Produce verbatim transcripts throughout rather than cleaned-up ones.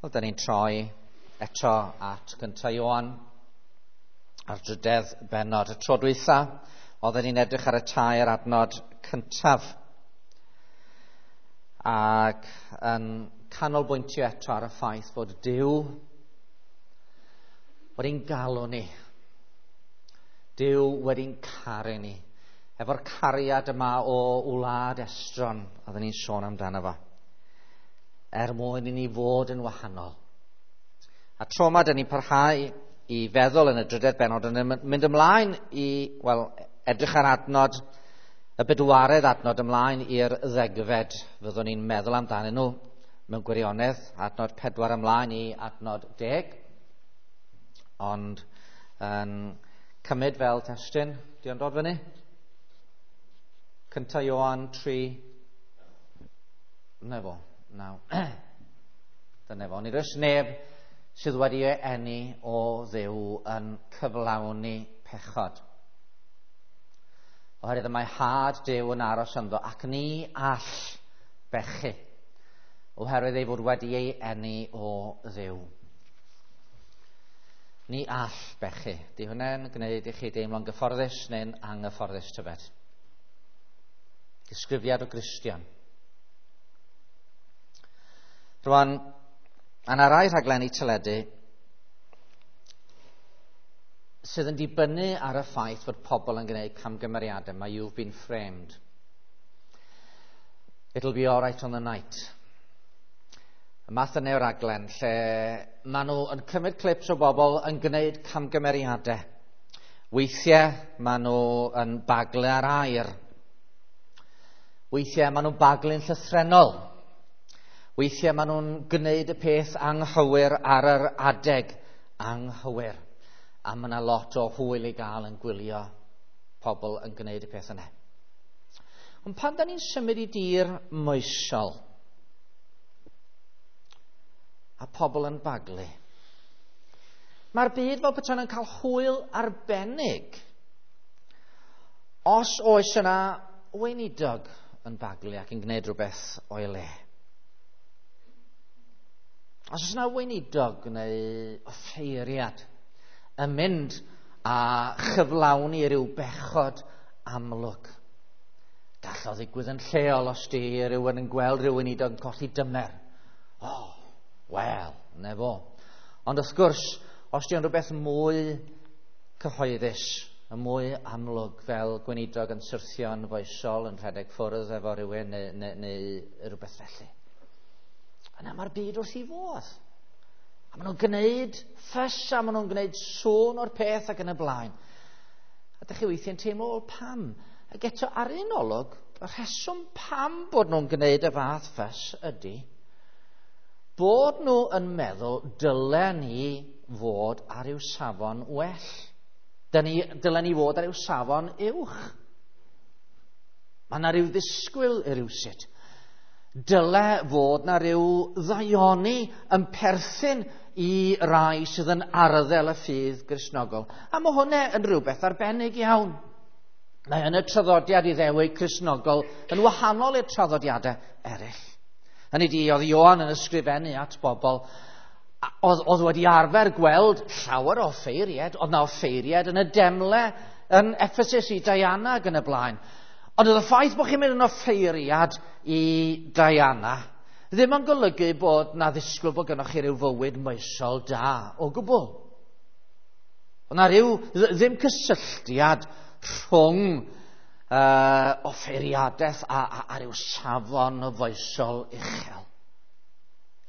Wel, da ni'n troi eto at gynta Ioan a'r drydedd bennod. Y tro dwytha, oedden ni'n edrych ar y tair adnod cyntaf ac yn canolbwyntio eto ar y ffaith fod Duw wedi'n galw ni. Duw wedi'n caru ni. Efo'r cariad yma o wlad estron, oedden ni'n sôn amdano fo, er mwyn i ni fod yn wahanol. A tro yma, dyn ni'n parhau i feddwl yn y drydedd bennod yn mynd ymlaen i, wel, edrych ar adnod, y bedwaredd adnod ymlaen i'r ddegfed. Fyddwn ni'n meddwl amdanyn nhw mewn gwirionedd, adnod pedwar ymlaen i adnod deg. Ond yn cymryd fel testun, di o'n dod fyny? Cynta Ioan tri, na fo. Naw. Dyna fo. Nid oes neb sydd wedi ei eni o Dduw yn cyflawni pechod. Oherwydd y mae had Duw yn aros ynddo ac ni all bechu, oherwydd ei fod wedi ei eni o Dduw. Ni all bechu. Di hwnna'n gwneud i chi deimlo'n gyfforddus neu'n anghyfforddus tybed? Disgrifiad o Gristion. Rwan, yna rai rhaglenni teledu sydd yn dibynnu ar y ffaith fod pobl yn gwneud camgymeriadau. Mae You've Been Framed. It'll Be Alright on the Night. Y math yna o raglen lle maen nhw yn cymryd clips o bobl yn gwneud camgymeriadau. Weithiau maen nhw yn baglu ar air. Weithiau maen nhw'n baglu'n llythrennol. Weithiau maen nhw'n gwneud y peth anghywir ar yr adeg anghywir. A mae yna lot o hwyl i gael yn gwylio pobl yn gwneud y peth yna. Ond pan da ni'n symud i dir moesol a pobl yn baglu, mae'r byd fel petai yn cael hwyl arbennig os oes yna weinidog yn baglu ac yn gwneud rhywbeth o'i le. Os oes yna weinidog neu offeiriad yn mynd a chyflawni rhyw bechod amlwg, gall o ddigwydd yn lleol os di rhywun yn gweld rhyw weinidog yn colli dymer. O, oh, wel, ne fo. Ond wrth gwrs, os di o'n rhywbeth mwy cyhoeddus, yn mwy amlwg, fel gweinidog yn syrthio'n foesol, yn rhedeg ffwrdd efo rhywun neu, neu, neu rhywbeth felly, yna mae'r byd wrth i fodd. A maen nhw'n gwneud ffys a maen nhw'n gwneud sôn o'r peth ac yn y blaen. A dych chi weithiau'n teimlo, wel, pam? Ac eto ar un olwg, y rheswm pam bod nhw'n gwneud y fath ffys ydy bod nhw yn meddwl dylen ni fod ar ryw safon well. Dylen ni, dylen ni fod ar ryw safon uwch. Mae yna rhyw ddisgwyl i rywsut. Dyle fod na ryw ddaioni yn perthyn i rai sydd yn arddel y ffydd Gristnogol. A mae hwnna yn rhywbeth arbennig iawn. Mae yn y traddodiad Iddewig Cristnogol yn wahanol i'r traddodiadau eraill. Hynny ydi, oedd Ioan yn ysgrifennu at bobl oedd, oedd wedi arfer gweld llawer o offeiried, oedd na offeiried yn y demle yn Ephesus i Diana ac yn y blaen. Ond oedd y ffaith bod chi'n mynd yn offeiriad i Diana ddim yn golygu bod na ddisgwyl bod gynnwch chi ryw fywyd moesol da o gwbl. Oedd na ryw ddim cysylltiad rhwng uh, offeiriadaeth a, a, a ryw safon o foesol uchel.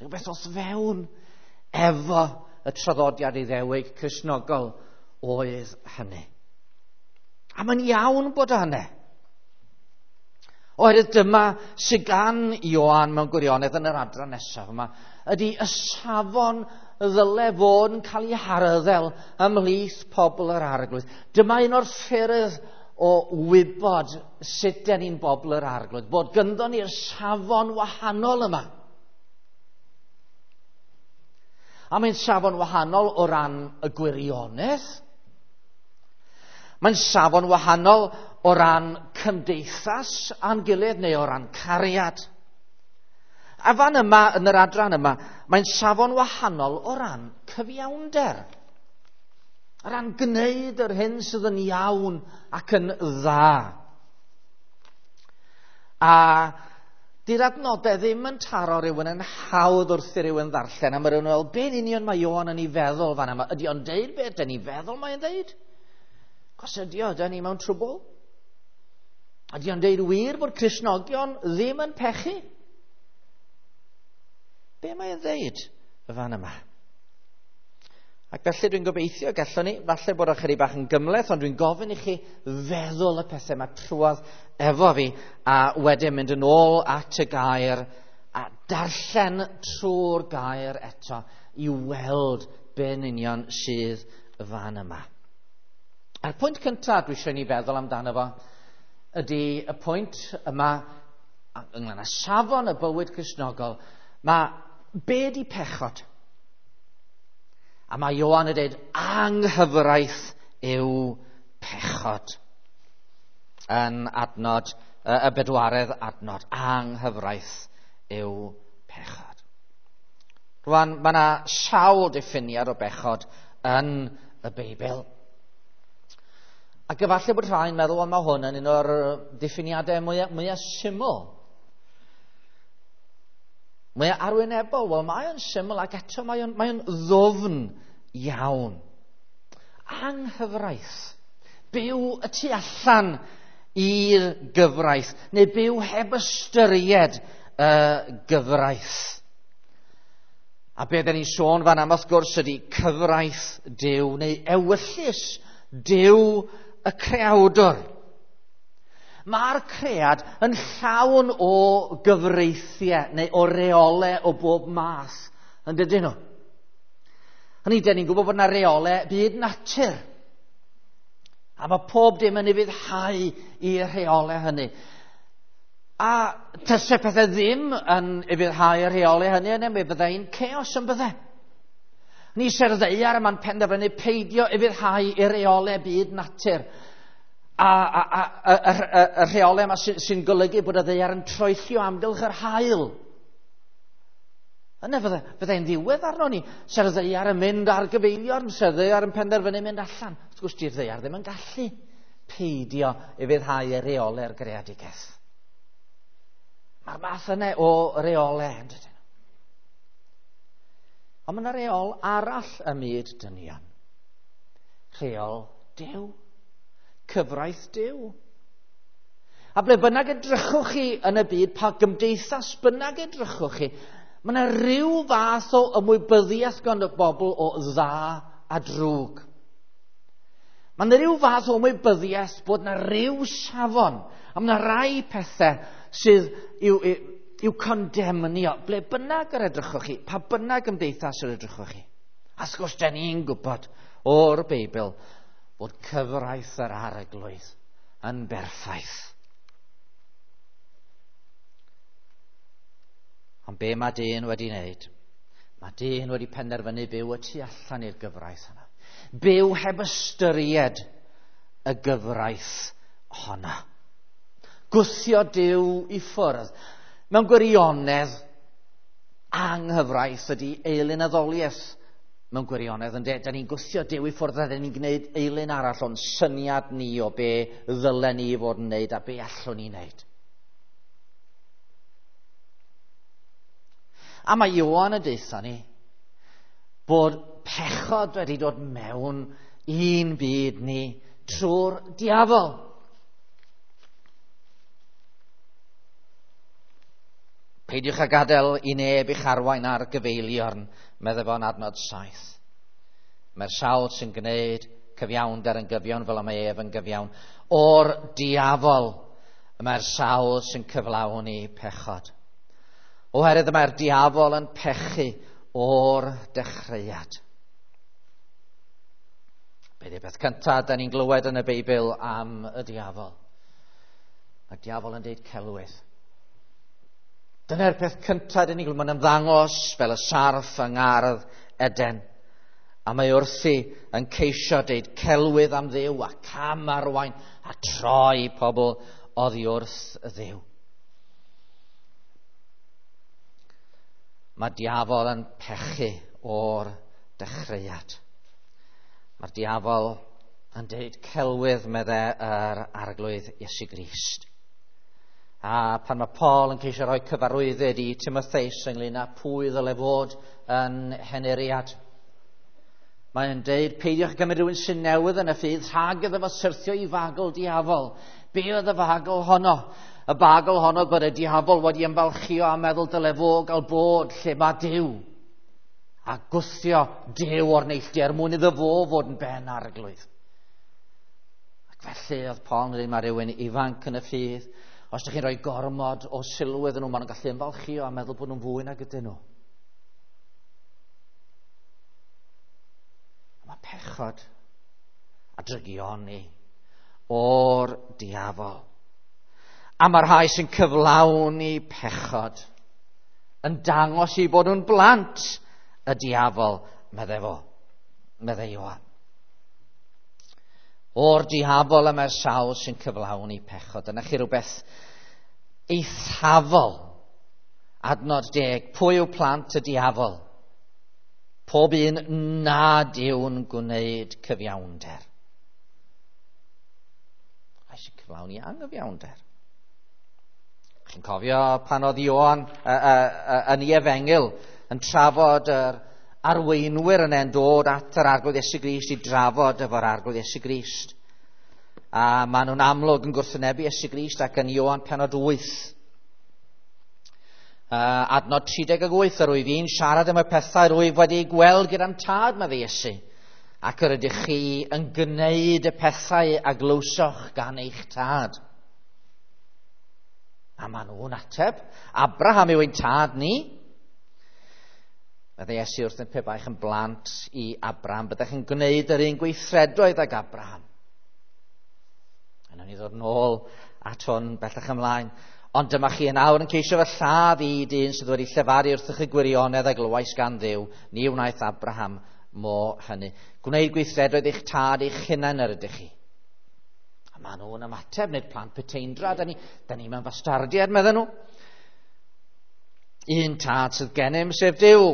Rhywbeth o'th fewn efo y traddodiad Iddewig Cristnogol oedd hynny. A mae'n iawn bod o hynny. Oherwydd dyma sydd gan Ioan mewn gwirionedd yn yr adran nesaf yma, ydy y safon ddyle fod yn cael ei harddel ymhlith pobl yr Arglwydd. Dyma un o'r ffyrdd o wybod sut den ni'n bobl yr Arglwydd, bod gynddo ni'r safon wahanol yma. A mae'n safon wahanol o ran y gwirionedd. Mae'n safon wahanol o ran cymdeithas a'n gilydd neu o ran cariad. A fan yma, yn yr adran yma, mae'n safon wahanol o ran cyfiawnder. O ran gwneud yr hyn sydd yn iawn ac yn dda. A di'r adnodau ddim yn taro rhywun yn hawdd wrth i rhywun ddarllen, a mae rhywun yn meddwl, be'n union mae Ioan yn ei feddwl fan yma? Ydy o'n deud beth dyn ni'n feddwl mae'n deud? Os ydy o, dyn ni mewn trwbl? Ydy o'n deud wir bod Cristnogion ddim yn pechu? Be mae'n ddeud y fan yma? Ac felly dwi'n gobeithio gallwn ni, falle bod ychydig bach yn gymhleth, ond dwi'n gofyn i chi feddwl y pethau yma trwodd efo fi, a wedyn mynd yn ôl at y gair a darllen trwy'r gair eto i weld be'n union sydd y fan yma. A'r pwynt cyntaf dwi eisiau ni feddwl amdano fo ydy y pwynt yma ynglyn â safon y bywyd Cristnogol. Mae be di pechod? A mae Ioan yn dweud anghyfraith yw pechod. Yn adnod, y bedwaredd adnod, anghyfraith yw pechod. Rwan, mae yna sawl diffiniad o bechod yn y Beibl. Ac efallai bod rhai'n meddwl, wel, mae hwn yn un o'r diffiniadau mwyaf, mwyaf syml. Mae arwynebol, wel mae o'n syml ac eto mae o'n, mae o'n ddwfn iawn. Anghyfraith. Byw y tu allan i'r gyfraith, neu byw heb ystyried y gyfraith. A be dyn ni'n sôn fan am wrth gwrs ydy cyfraith Duw, neu ewyllys Duw y creawdwr. Mae'r cread yn llawn o gyfreithiau neu o reolau o bob math, yn dydyn nhw? Hynny, dyn ni'n gwybod bod yna reolau byd natur. A mae pob dim yn ufuddhau i'r rheolau hynny. A tase pethau ddim yn ufuddhau i'r rheolau hynny, yna mi fyddai'n chaos yn bydde. Ni se'r ddaear yma'n penderfynu peidio ufuddhau i'r reolau byd natur. A, a, a, a, a, a, y rheolau yma sy'n sy golygu bod y ddaear yn troellio amgylch yr haul. Yna fydde, fyddai'n ddiwedd arno ni. Se'r ddaear yn mynd ar gyfeiliorn, se'r ddaear yn penderfynu mynd allan. Wrth gwrs, di'r ddaear ddim yn gallu peidio ufuddhau y rheolau'r greadigaeth. Mae'r math yna o reolau, yn dydyn. Ond mae yna reol arall ym myd dynion. Rheol Duw. Cyfraith Duw. A ble bynnag edrychwch chi yn y byd, pa gymdeithas bynnag edrychwch chi, mae yna ryw fath o ymwybyddiaeth gan y bobl o dda a drwg. Mae yna ryw fath o ymwybyddiaeth bod yna ryw safon, a mae yna rai pethau sydd i'w, i'w, i'w condemnio. Ble bynnag yr edrychwch chi, pa bynnag gymdeithas yr edrychwch chi. A wrth gwrs, dan ni'n gwybod o'r Beibl bod cyfraith yr Arglwydd yn berffaith. Ond be mae dyn wedi wneud? Mae dyn wedi penderfynu byw y tu allan i'r gyfraith yna. Byw heb ystyried y gyfraith honna. Gwthio Duw i ffwrdd. Mewn gwirionedd, anghyfraith ydy eilunaddoliaeth. Mewn gwirionedd, ynde, da ni'n gwthio Duw i ffwrdd a da ni'n gwneud eilun arall o'n syniad ni o be ddylen ni fod yn wneud a be allwn ni wneud. A mae Ioan yn deutha ni bod pechod wedi dod mewn i'n byd ni trwy'r diafol. Peidiwch â gadael i neb i'ch arwain ar gyfeiliorn, meddai fo'n adnod saith. Mae'r sawl sy'n gwneud cyfiawnder yn gyfiawn fel y mae ef yn gyfiawn. O'r diafol mae'r sawl sy'n cyflawni pechod. Oherwydd mae'r diafol yn pechu o'r dechreuad. Be di'r peth cyntaf da ni'n glywed yn y Beibl am y diafol? Mae'r diafol yn deud celwydd. Dyna'r peth cyntaf dyn ni'n glywed. Mae'n ymddangos fel y sarff yng ngardd Eden. A mae wrthi yn ceisio deud celwydd am Dduw a cam arwain a troi pobl oddi wrth Dduw. Mae diafol yn pechu o'r dechreuad. Mae'r diafol yn deud celwydd, medde yr Arglwydd Iesu Grist. A pan mae Paul yn ceisio rhoi cyfarwyddyd i Timotheus ynglyn â pwy ddyle fod yn henuriad, mae'n deud, peidiwch gymryd rhywun sy'n newydd yn y ffydd rhag iddo fo syrthio i fagl diafol. Be oedd y fagl honno? Y bagl honno bod y diafol wedi ymfalchio a meddwl dyle fo gael bod lle mae Duw. A gwthio Duw o'r neilltu er mwyn iddo fo fod yn ben arglwydd. Ac felly oedd Paul yn dweud, mae rhywun ifanc yn y ffydd. Os ydych chi'n rhoi gormod o sylw iddyn nhw, maen nhw'n gallu ymfalchio a meddwl bod nhw'n fwy nag ydyn nhw. Mae pechod a drygioni o'r diafol. A mae'r rhai sy'n cyflawni pechod yn dangos i bod nhw'n blant y diafol, medde fo, medde Ioan. O'r diafol y mae'r sawl sy'n cyflawni pechod. Dyna chi rhywbeth eithafol. Adnod deg. Pwy yw plant y diafol? Pob un nad yw'n gwneud cyfiawnder. Rhai sy'n cyflawni anghyfiawnder. Chi'n cofio pan oedd Ioan uh, uh, uh, yn ei efengyl yn trafod yr arweinwyr yn e'n dod at yr Arglwydd Iesu Grist i drafod efo'r Arglwydd Iesu Grist. A maen nhw'n amlwg yn gwrthwynebu Iesu Grist ac yn Ioan pennod wyth. Uh, adnod tri deg wyth, yr wyf i'n siarad am y pethau rwyf wedi gweld gyda'n tad, medde Iesu, ac yr ydych chi yn gwneud y pethau a glywsoch gan eich tad. A maen nhw'n ateb, Abraham yw ein tad ni. Medde Iesu wrthyn, pe baech yn blant i Abraham, byddech yn gwneud yr un gweithredoedd ag Abraham. A nawn ni ddod nôl at hwn bellach ymlaen. Ond dyma chi yn awr yn ceisio fy lladd i dyn sydd wedi llefaru wrthych y gwirionedd a glywais gan Dduw. Ni wnaeth Abraham mo hynny. Gwneud gweithredoedd eich tad eich hunain yr ydych chi. A maen nhw'n ymateb, nid plant puteindra, da ni, da ni mewn bastardiad, medden nhw. Un tad sydd gennym, sef Duw.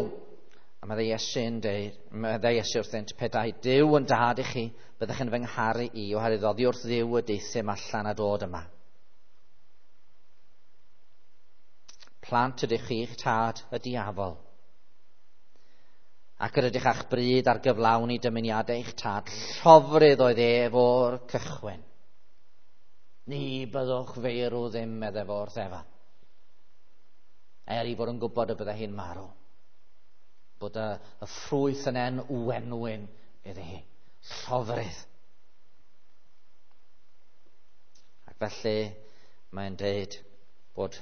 A medde Iesu'n deud, medde Iesu wrthynt, petai Duw yn dad i chi, byddech yn fy ngharu i, oherwydd oddi wrth Dduw y deuthum allan a dod yma. Plant ydych chi'ch tad y diafol, ac yr ydych a'ch bryd ar gyflawni dymuniadau eich tad, llofrudd oedd ef o'r cychwyn. Ni byddwch feirw ddim, medde fo wrth Efa. Er i fod yn gwybod y bydde hi'n marw. Bod y, y ffrwyth yn en wenwyn iddi hi. Llofrudd. Ac felly mae'n deud bod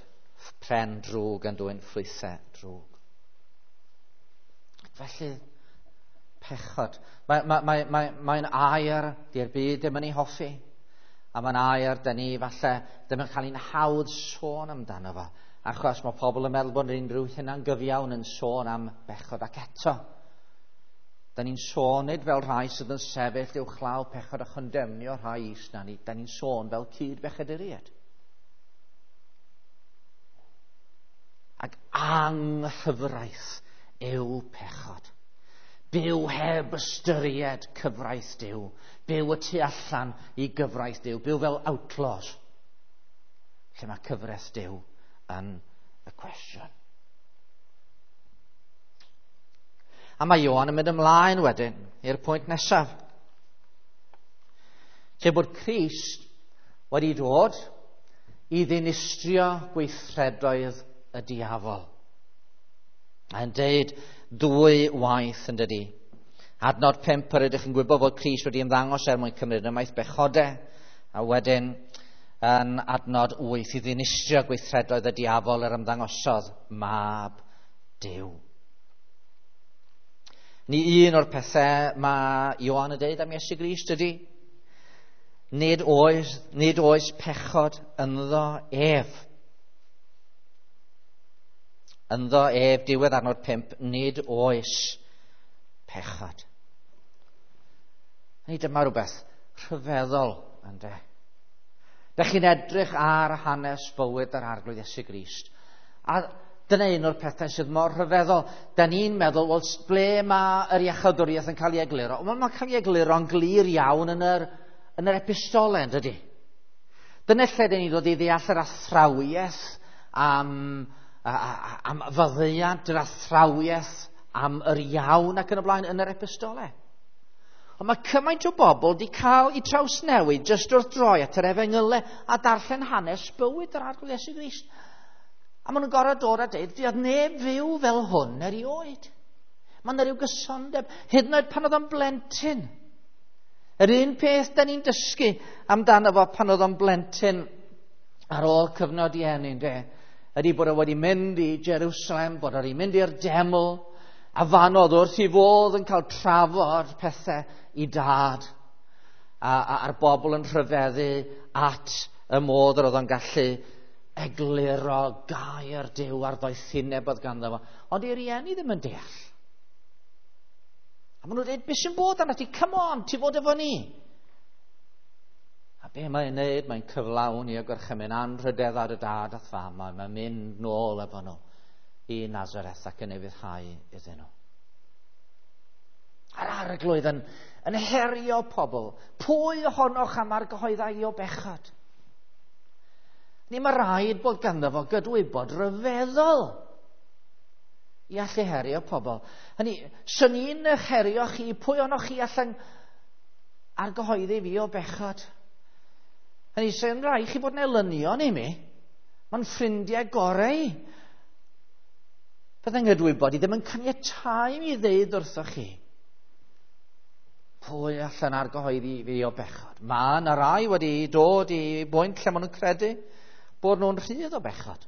pren drwg yn dwyn ffrwythau drwg. Ac felly pechod. Mae'n mae, mae, mae, mae air di'r byd ddim yn ei hoffi. A mae'n air dyn ni falle ddim yn cael ein hawdd sôn amdano fo. Achos mae pobl yn meddwl bod unrhyw hunangyfiawn yn sôn am bechod. Ac eto, da ni'n sôn nid fel rhai sydd yn sefyll uwchlaw pechod a chondemnio rhai is na ni. Da ni'n sôn fel cyd-bechaduriaid. Ac anghyfraith yw pechod. Byw heb ystyried cyfraith Duw. Byw y tu allan i gyfraith Duw. Byw fel outlaws. Lle mae cyfraith Duw yn y cwestiwn. A mae Ioan yn mynd ymlaen wedyn i'r pwynt nesaf. Sef bod Crist wedi dod i ddinistrio gweithredoedd y diafol. Mae'n deud dwy waith yn dydi. Adnod pump, yr ydych yn gwybod fod Crist wedi ymddangos er mwyn cymryd ymaith bechodau, a wedyn yn adnod wyth i ddinistrio gweithredoedd y diafol yr ymddangosodd mab Duw. Ni un o'r pethau mae Ioan yn deud am Iesu Grist ydy, nid oes, nid oes pechod ynddo ef. Ynddo ef, diwedd adnod pump, nid oes pechod. Ni dyma rhywbeth rhyfeddol, ynde. Dych chi'n edrych ar hanes bywyd yr Arglwydd Iesu Grist. A Dyna un o'r pethau sydd mor rhyfeddol. Da ni'n meddwl, wel, ble mae yr iachawdwriaeth yn cael ei egluro? Wel, mae'n cael ei egluro'n glir iawn yn yr, yn yr epistolau, yn dydy? Dyna lle dyn ni'n dod i ddeall yr athrawiaeth am, am faddeuant, yr athrawiaeth am yr iawn ac yn y blaen yn yr epistolau. Ond mae cymaint o bobl wedi cael eu trawsnewid jyst wrth droi at yr efengylau a darllen hanes bywyd yr Arglwydd Iesu Grist. A maen nhw'n gorfod dod a dweud, fuodd neb fyw fel hwn erioed. Mae yna rhyw gysondeb, hyd yn oed pan oedd o'n blentyn. Yr un peth da ni'n dysgu amdano fo pan oedd o'n blentyn ar ôl cyfnod i eni, de, ydy bod o wedi mynd i Jerusalem, bod o wedi mynd i'r deml, a fan oedd wrth i fodd yn cael trafod pethau i dad. A, a, a'r bobl yn rhyfeddu at y modd yr oedd o'n gallu egluro gair Duw a'r ddoethineb oedd ganddo fo. Ond i rieni ddim yn deall. A maen nhw'n dweud, beth sy'n bod arna ti? Come on, ti fod efo ni. A be mae'n neud? Mae'n cyflawni y gorchymyn anrhydedda dy dad a'th fam. Mae'n mynd nôl efo nhw i Nazareth ac yn ufuddhau iddyn nhw. A'r Arglwydd yn, yn herio pobl. Pwy ohonoch am argyhoeddau i o bechod? Ni mae rhaid bod ganddo fo gydwybod rhyfeddol i allu herio pobl. Hynny, swn i'n eich herio chi, pwy ohonoch chi allan argyhoeddi fi o bechod? Hynny, sy'n rhaid chi bod yn elynion i mi. Mae'n ffrindiau gorau. Byddai'n gydwybod i ddim yn caniatáu mi ddeud wrthoch chi. Pwy allan argyhoeddi fi o bechod? Mae yna rai wedi dod i bwynt lle maen nhw'n credu bod nhw'n rhydd o bechod.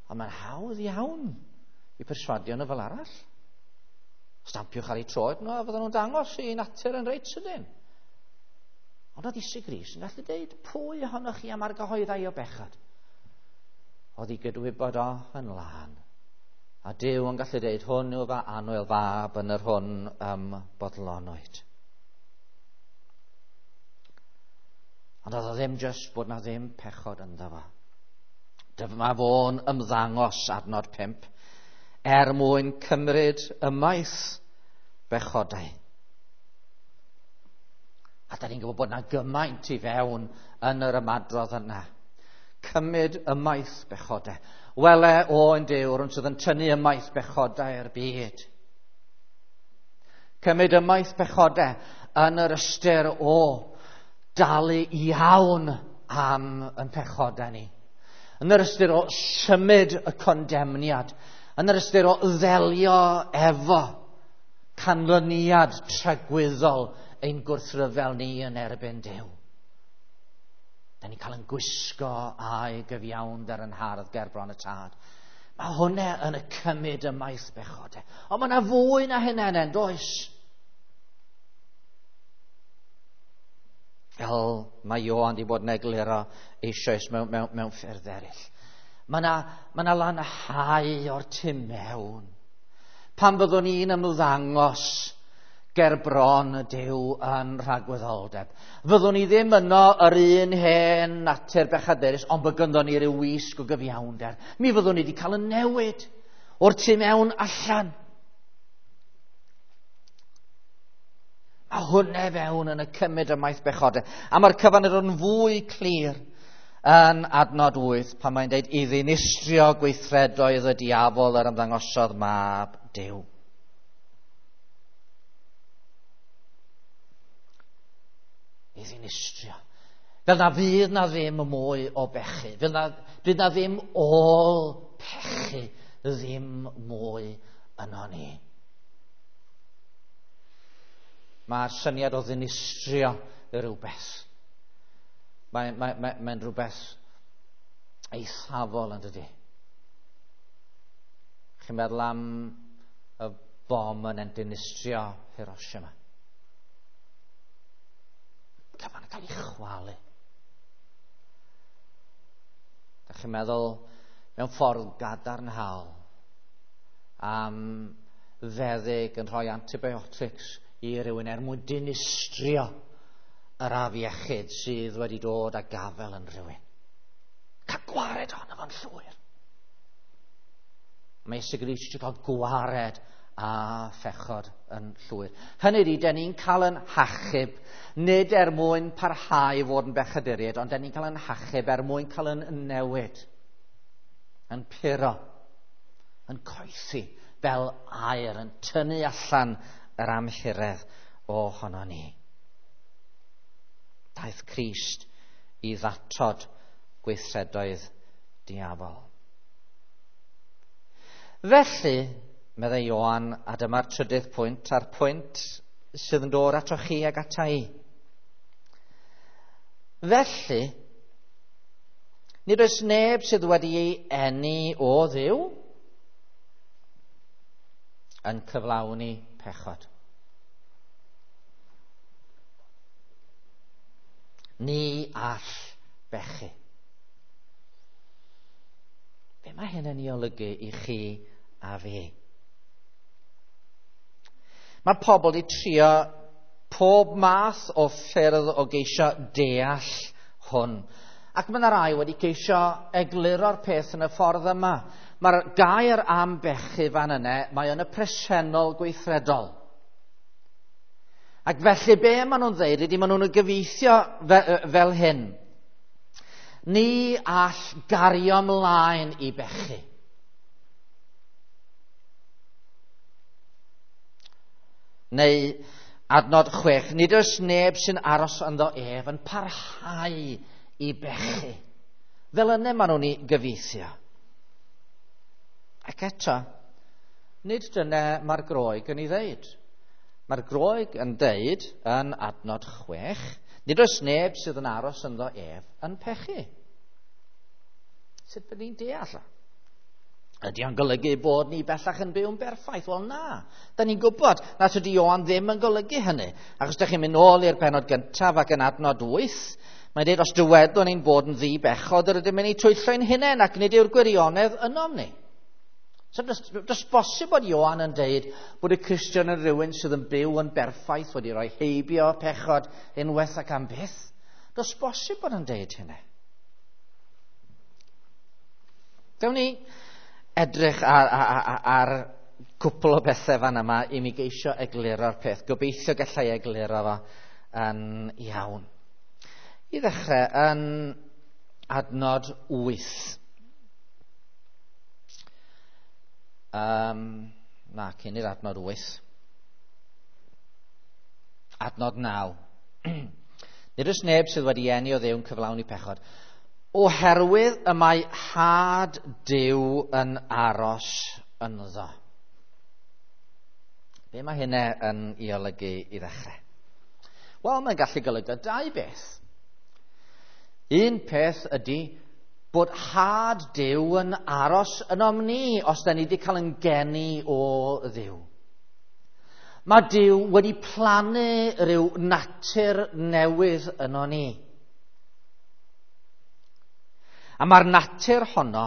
Ond mae'n hawdd iawn i perswadio nhw fel arall. Stampiwch ar eu troed nhw a fydden nhw'n dangos i natur yn reit sydyn. Ond oedd Iesu Grist yn gallu deud, pwy ohonoch chi am argyhoeddau o bechod? Oedd ei gydwybod o yn lân. A Duw yn gallu deud, hwn yw fy annwyl fab yn yr hwn ym bodlonwyd. Ond oedd o ddim jyst bod na ddim pechod ynddo fo. Dyma fo'n ymddangos adnod pump er mwyn cymryd ymaith bechodau. A da ni'n gwybod bod na gymaint i fewn yn yr ymadrodd yna. Cymryd ymaith bechodau. Wele oen Duw, rhywun sydd yn tynnu ymaith bechodau'r byd. Cymryd ymaith bechodau yn yr ystyr o dalu iawn am yn pechodau ni. Yn yr ystyr o symud y condemniad. Yn yr ystyr o ddelio efo canlyniad tragwyddol ein gwrthryfel ni yn erbyn Duw. Da ni'n cael yn gwisgo a'i gyfiawnder yn hardd ger bron y tad. Mae hwnna yn y cymryd ymaith bechodau. Ond mae yna fwy na hynna yn does? Fel mae Ioan wedi bod yn egluro eisoes mewn, mewn, mewn ffyrdd eraill. Mae yna, mae yna lanhau o'r tu mewn. Pan fyddwn ni'n ymddangos ger bron y Duw yn rhagwyddoldeb. Fyddwn ni ddim yno yr un hen natur bechadurus, ond bod gynddon ni ryw wisg o gyfiawnder. Mi fyddwn ni wedi cael y newid o'r tu mewn allan. A hwnna fewn yn y cymryd ymaith bechodau. A mae'r cyfan yn fwy clir yn adnod wyth pan mae'n dweud i ddinistrio gweithredoedd y diafol yr ymddangosodd mab Duw. I ddinistrio. Fel na fydd na ddim mwy o bechu. Fel na fydd na ddim ôl pechu ddim mwy yno ni. Mae'r syniad o ddinistrio rhywbeth. Mae'n mae, mae, mae rhywbeth eithafol yn dydy. Chi'n meddwl am y bom yn dinistrio Hiroshima. Cyfan yn cael ei chwalu. Da chi'n meddwl mewn ffordd gadarnhaol am feddyg yn rhoi antibiotics i rywun er mwyn dinistrio yr afiechyd sydd wedi dod a gafel yn rhywun. Cael gwared ohono fo'n llwyr. Mae Iesu Grist eisiau cael gwared a phechod yn llwyr. Hynny ydy, den ni'n cael yn hachub, nid er mwyn parhau i fod yn bechaduriaid, ond den ni'n cael yn hachub er mwyn cael yn newid, yn puro, yn coethi, fel aer, yn tynnu allan yr amhuredd ohono ni. Daeth Crist i ddatod gweithredoedd diafol. Felly, meddai Ioan, a dyma'r trydydd pwynt, a'r pwynt sydd yn dod ato chi ag ata i. Felly, nid oes neb sydd wedi ei eni o Dduw yn cyflawni pechod. Ni all bechu. Be mae hyn yn ei olygu i chi a fi? Mae pobl wedi trio pob math o ffyrdd o geisio deall hwn. Ac mae yna rai wedi ceisio egluro'r peth yn y ffordd yma. Mae'r gair am bechu fan yna, mae yn y presennol gweithredol. Ac felly be maen nhw'n dweud ydy maen nhw'n gyfieithio fe, fel hyn. Ni all gario ymlaen i bechu. Neu adnod chwech, nid oes neb sy'n aros ynddo ef yn parhau i bechu. Fel yna maen nhw'n ei gyfieithio. Ac eto, nid dyna mae'r Groeg yn ei ddeud. Mae'r Groeg yn deud yn adnod chwech, nid oes neb sydd yn aros ynddo ef yn pechu. Sut bydd ni'n deall? Ydy o'n golygu bod ni bellach yn byw'n berffaith? Wel na, da ni'n gwybod na tydi Ioan ddim yn golygu hynny. Achos da chi'n mynd nôl i'r pennod gyntaf ac yn adnod wyth, mae'n dweud os dywedwn ni'n bod yn ddi-bechod, yr ydym yn ei twyllo ein hunain ac nid yw'r gwirionedd ynom ni. So does, does bosib bod Ioan yn deud bod y Cristion yn rhywun sydd yn byw yn berffaith, wedi rhoi heibio pechod unwaith ac am byth. Does bosib bod yn deud hynny. Dewn ni edrych ar, ar, ar, ar cwpl o bethau fan yma i mi geisio egluro'r peth. Gobeithio gallai egluro fo yn iawn. I ddechrau yn adnod wyth. Um, na, cyn i'r adnod wyth. Adnod naw. Nid oes neb sydd wedi eni o Dduw yn cyflawni pechod. Oherwydd y mae had Duw yn aros ynddo. Be mae hynna yn ei olygu i ddechrau? Wel, mae'n gallu golygu dau beth. Un peth ydy bod had Duw yn aros ynom ni os da ni wedi cael yn geni o Dduw. Mae Duw wedi plannu rhyw natur newydd yno ni. A mae'r natur honno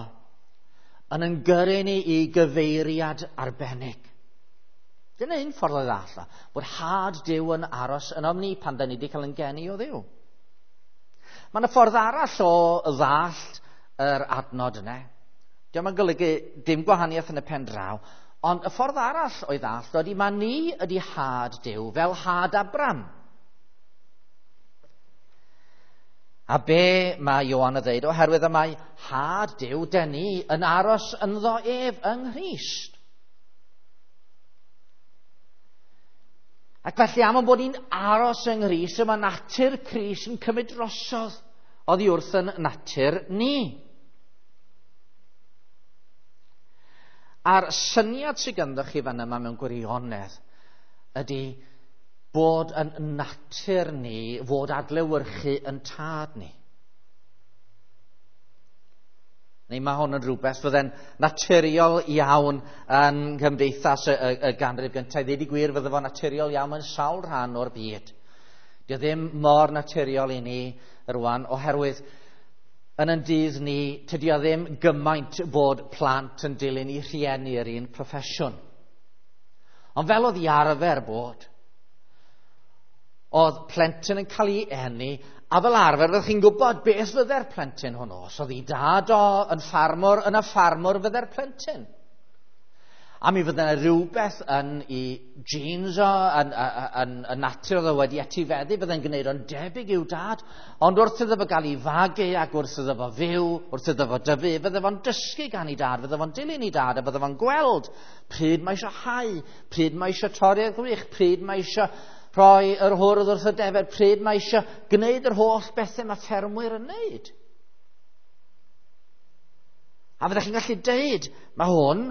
yn yn gyrru ni i gyfeiriad arbennig. Dyna un ffordd o ddall, bod had Duw yn aros ynom ni pan da ni wedi cael yn geni o Dduw. Mae yna ffordd arall o ddallt yr adnod yna. Dio'm yn golygu dim gwahaniaeth yn y pen draw, ond y ffordd arall o'i ddallt ydy mae ni ydy had Duw fel had Abram. A be mae Ioan yn dweud, oherwydd y mae had Duw den ni yn aros ynddo ef yng Nghrist. Ac felly am bod ni'n aros yng Nghrist, y mae natur Crist yn cymryd drosodd oddi wrth yn natur ni. A'r syniad sydd ganddo chi fan yma mewn gwirionedd ydy bod yn natur ni fod adlewyrchu yn tad ni. Neu mae hwn yn rhywbeth fydde'n naturiol iawn yn nghymdeithas y, y, y ganrif gyntaf. I ddweud y gwir, fydde fo'n naturiol iawn yn sawl rhan o'r byd. Dio ddim mor naturiol i ni rwan, oherwydd yn yn dydd ni, tydi o ddim gymaint bod plant yn dilyn i rhieni yr un proffesiwn. Ond fel oedd i arfer bod, oedd plentyn yn cael ei eni, a fel arfer fyddech chi'n gwybod beth fydde'r plentyn hwnnw. Os oedd ei dad o yn ffarmwr, yn y ffarmwr fydde'r plentyn. A mi fydde yna rhywbeth yn ei genes o, yn, yn, yn, yn natur oedd o wedi etifeddu, fydde'n gwneud o'n debyg i'w dad. Ond wrth iddo fo gael ei fagu ac wrth iddo fo fyw, wrth iddo fo dyfu, fydde fo'n dysgu gan ei dad, fydde fo'n dilyn ei dad, a fydde fo'n gweld pryd mae eisiau hau, pryd mae eisiau torri'r gwrych, pryd mae eisiau rhoi yr hwrdd wrth y defed, pryd mae eisiau gwneud yr holl bethau mae ffermwyr yn wneud. A fyddech chi'n gallu deud, mae hwn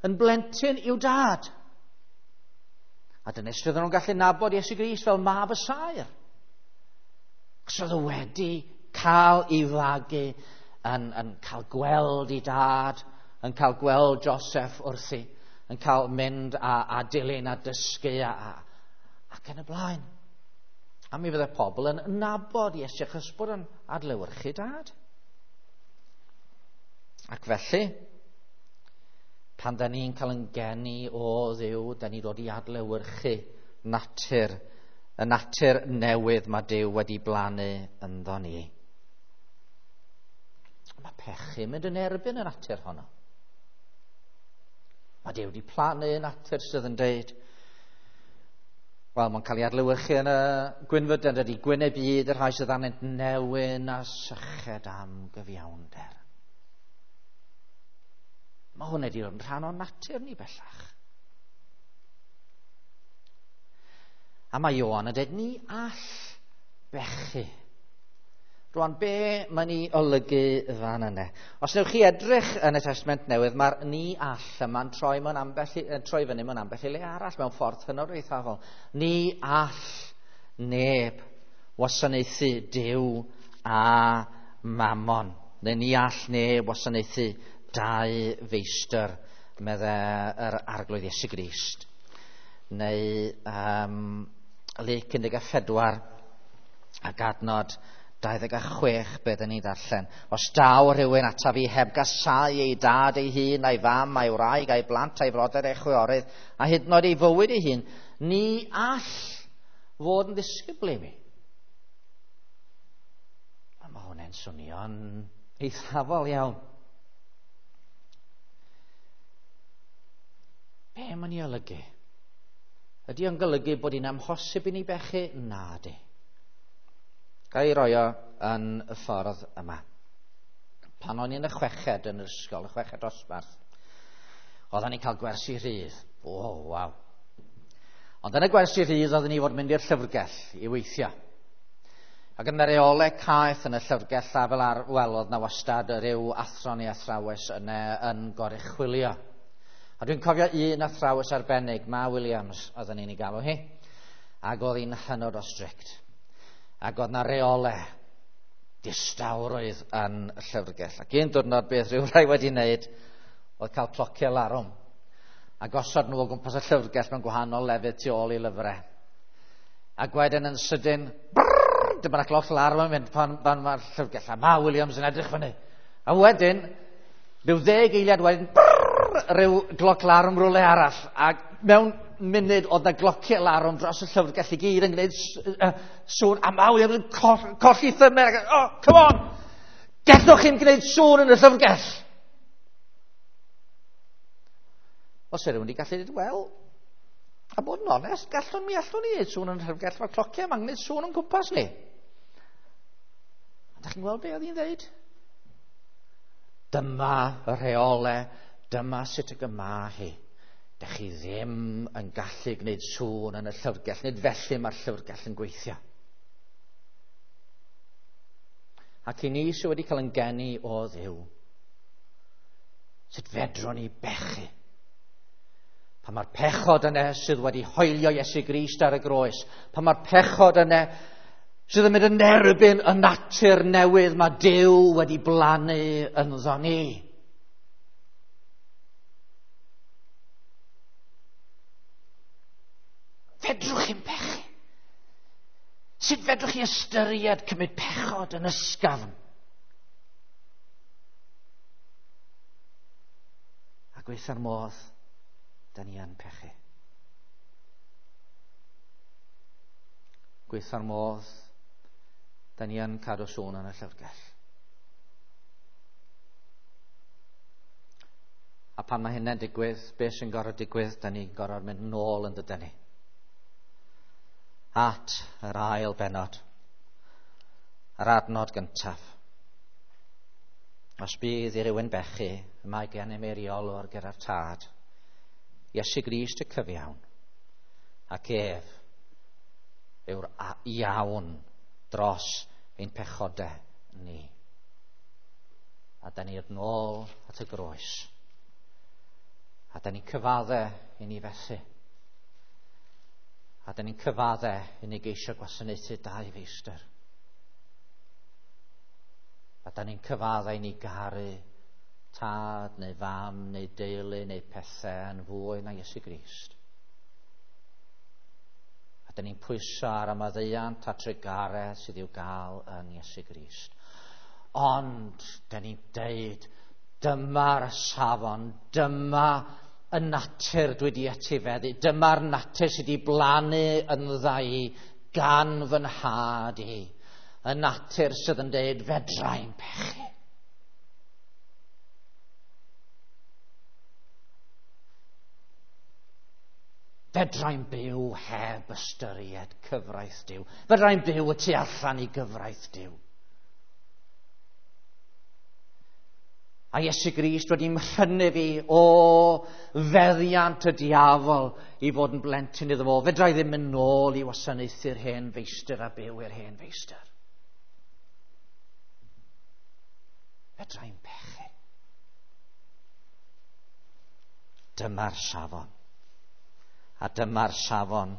yn blentyn i'w dad. A dyna sut oedden nhw'n gallu nabod Iesu Grist fel mab y saer. Achos oedd o wedi cael ei fagu yn, yn cael gweld ei dad, yn cael gweld Joseph wrthi, yn cael mynd a, a dilyn a dysgu a, a, ac yn y blaen. A mi fydde pobl yn nabod Iesu achos bod yn adlewyrchu dad. Ac felly, pan da ni'n cael yn geni o Dduw, da ni dod i adlewyrchu natur, y natur newydd mae Duw wedi blannu ynddo ni. Mae pechu mynd yn erbyn y natur honno. Mae Duw wedi plannu natur sydd yn deud, wel, mae'n cael ei adlewyrchu yn y gwynfydau, dydy, gwyneb byd y rhai sydd arnynt newyn a syched am gyfiawnder. Mae hwn wedi dod yn rhan o'n natur ni bellach. A mae Ioan yn dweud, ni all bechu. Rwan, be mae'n ei olygu fan yna? Os newch chi edrych yn y Testament Newydd, mae'r ni all yma'n troi, mewn ambell, troi fyny mewn ambell i le arall, mewn ffordd hynod eithafol. Ni all neb wasanaethu Duw a Mammon. Neu ni all neb wasanaethu dau feistr, medde yr Arglwydd Iesu Grist. Neu um, Luc un deg pedwar ac adnod dau ddeg a chwech, beth yn ei ddarllen. Os daw rhywun ataf fi heb gasau ei dad ei hun, a'i fam, a'i wraig, a'i blant, a'i frodyr, a'i chwiorydd, a hyd yn oed ei fywyd ei hun, ni all fod yn ddisgybl i mi. A mae hwnna'n swnio'n eithafol iawn. Be mae'n ei olygu? Ydy o'n golygu bod hi'n amhosib i ni bechu? Na di. Ga i roi o yn y ffordd yma. Pan o'n i'n y chweched yn yr ysgol, y chweched dosbarth, oedden ni'n cael gwersi rhydd. O, oh, waw. Ond yn y gwersi rhydd oedden ni fod mynd i'r llyfrgell i weithio. Ac yn y reolau caeth yn y llyfrgell a fel ar, wel, oedd na wastad rhyw athro neu athrawes yna yn goruchwylio. A dwi'n cofio un athrawes arbennig, Ma Williams, oedden ni'n ei galw hi, ac oedd hi'n hynod o strict. Ac oedd na reolau distawrwydd yn y llyfrgell. Ac un diwrnod beth rhyw rai wedi wneud oedd cael clociau larwm. A gosod nhw o gwmpas y llyfrgell mewn gwahanol lefydd tu ôl i lyfrau. Ac wedyn yn sydyn, brrr, dyma'r cloc larwm yn mynd pan, pan mae'r llyfrgell. A Ma Williams yn edrych fyny. A wedyn, rhyw ddeg eiliad wedyn, brrr, rhyw gloc larwm rhywle arall, ac mewn munud oedd na glociau larwm dros y llyfrgell i gyd yn gwneud sŵn, a Ma Williams yn coll, colli thymer, ac, oh, come on, gallwch chi'n gwneud sŵn yn y llyfrgell. Os ydyn rhywun wedi gallu dweud, wel, a bod yn onest, gallwn mi allwn ni wneud sŵn yn y llyfrgell, mae'r clociau yma'n gwneud sŵn yn gwmpas ni. A da chi'n gweld be oedd hi'n dweud? Dyma y rheolau, dyma sut y gyma hi. Dych chi ddim yn gallu gwneud sŵn yn y llyfrgell, nid felly mae'r llyfrgell yn gweithio. Ac i ni sydd wedi cael yn geni o Dduw, sut fedrwn ni bechu? Pan mae'r pechod yna sydd wedi hoelio Iesu Grist ar y groes, pan mae'r pechod yna sydd yn mynd yn erbyn y natur newydd mae Duw wedi blannu ynddo ni. Fedrwch chi'n pechu? Sut fedrwch chi ystyried cymryd pechod yn ysgafn? A gweitha'r modd, da ni yn pechu. Gweitha'r modd, da ni yn cadw sŵn yn y llyfrgell. A pan mae hynny'n digwydd, beth sy'n gorfod digwydd, da ni'n gorfod mynd nôl yn dydyn ni. At yr ail bennod, yr adnod gyntaf. Os bydd i rywun bechu, mae gennym eiriolwr gyda'r Tad, Iesu Grist y cyfiawn, ac ef yw'r iawn dros ein pechodau ni. A da ni'n nôl at y groes. A da ni'n cyfadde i ni fethu. A da ni'n cyfadde i ni geisio gwasanaethu dau feistr. A da ni'n cyfadde i ni garu tad neu fam neu deulu neu pethau yn fwy na Iesu Grist. A da ni'n pwyso ar y maddeuant a trugaredd sydd i'w gael yn Iesu Grist. Ond da ni'n deud, dyma'r safon, dyma y natur dwi wedi etifeddu, dyma'r natur sydd wedi blannu yndda i gan fy nhad i. Y natur sydd yn deud, fedrai'n pechu. Fedrai'n byw heb ystyried cyfraith Duw. Fedrai'n byw y tu allan i gyfraith Duw. A Iesu Grist wedi mhrynu fi o feddiant y diafol i fod yn blentyn iddo fo. Fedra i ddim mynd nôl i wasanaethu'r hen feistr a byw i'r hen feistr. Fedra i'n pechu. Dyma'r safon. A dyma'r safon.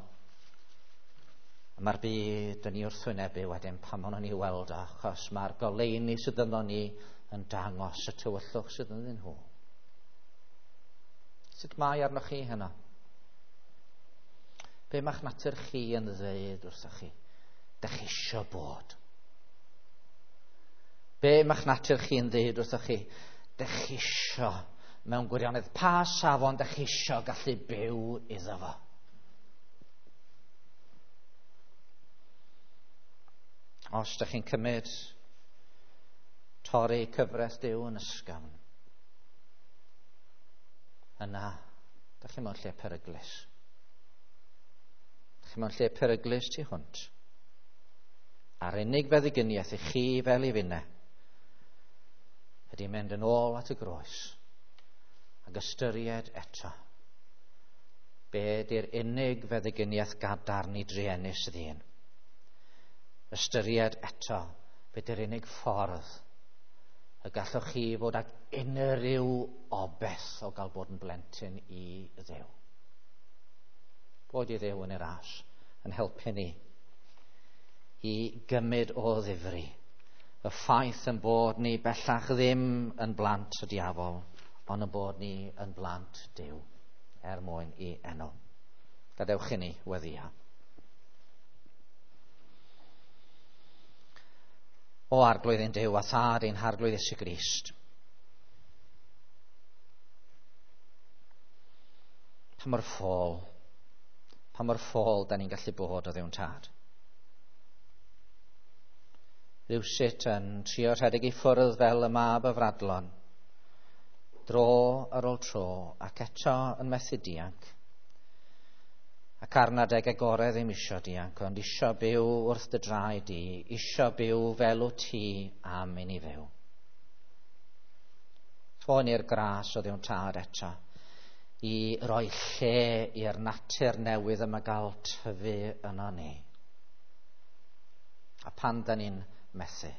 A mae'r byd yn ei wrthwynebu wedyn pan maen nhw'n ei weld, achos mae'r goleuni sydd ynddo ni yn dangos y tywyllwch sydd ynddyn nhw. Sut mae arnoch chi heno? Be mae'ch natur chi yn ddeud wrthoch chi? Dych chi isio bod. Be mae'ch natur chi yn ddeud wrthoch chi? Dych chi isio mewn gwirionedd. Pa safon dych chi isio gallu byw iddo fo? Os dych chi'n cymryd torri cyfraith Duw yn ysgafn, yna, dych chi mewn lle peryglus. Dych chi mewn lle peryglus tu hwnt. A'r unig feddyginiaeth i chi fel i finne ydy mynd yn ôl at y groes ac ystyried eto be di'r unig feddyginiaeth gadarn i druenus ddyn. Ystyried eto be di'r unig ffordd y gallwch chi fod ag unrhyw obeth o gael bod yn blentyn i Dduw. Bod i Dduw yn ei ras yn helpu ni i gymryd o ddifri y ffaith yn bod ni bellach ddim yn blant y diafol, ond yn bod ni yn blant Duw er mwyn i enw. Gadewch i ni weddïo. O Arglwydd ein Duw a Thad ein Harglwydd Iesu Grist, pa mor ffôl, pa mor ffôl da ni'n gallu bod o Dduw'n Tad. Rywsut yn trio rhedeg i ffwrdd fel y mab y fradlon, dro ar ôl tro, ac eto yn methu dianc. Ac ar adeg agored ddim isio dianc, ond isio byw wrth dy draed di, isio byw fel wyt ti am i ni fyw. Rho ni'r gras o Dduw'n Tad eto i roi lle i'r natur newydd yma gael tyfu yno ni. A pan da ni'n methu,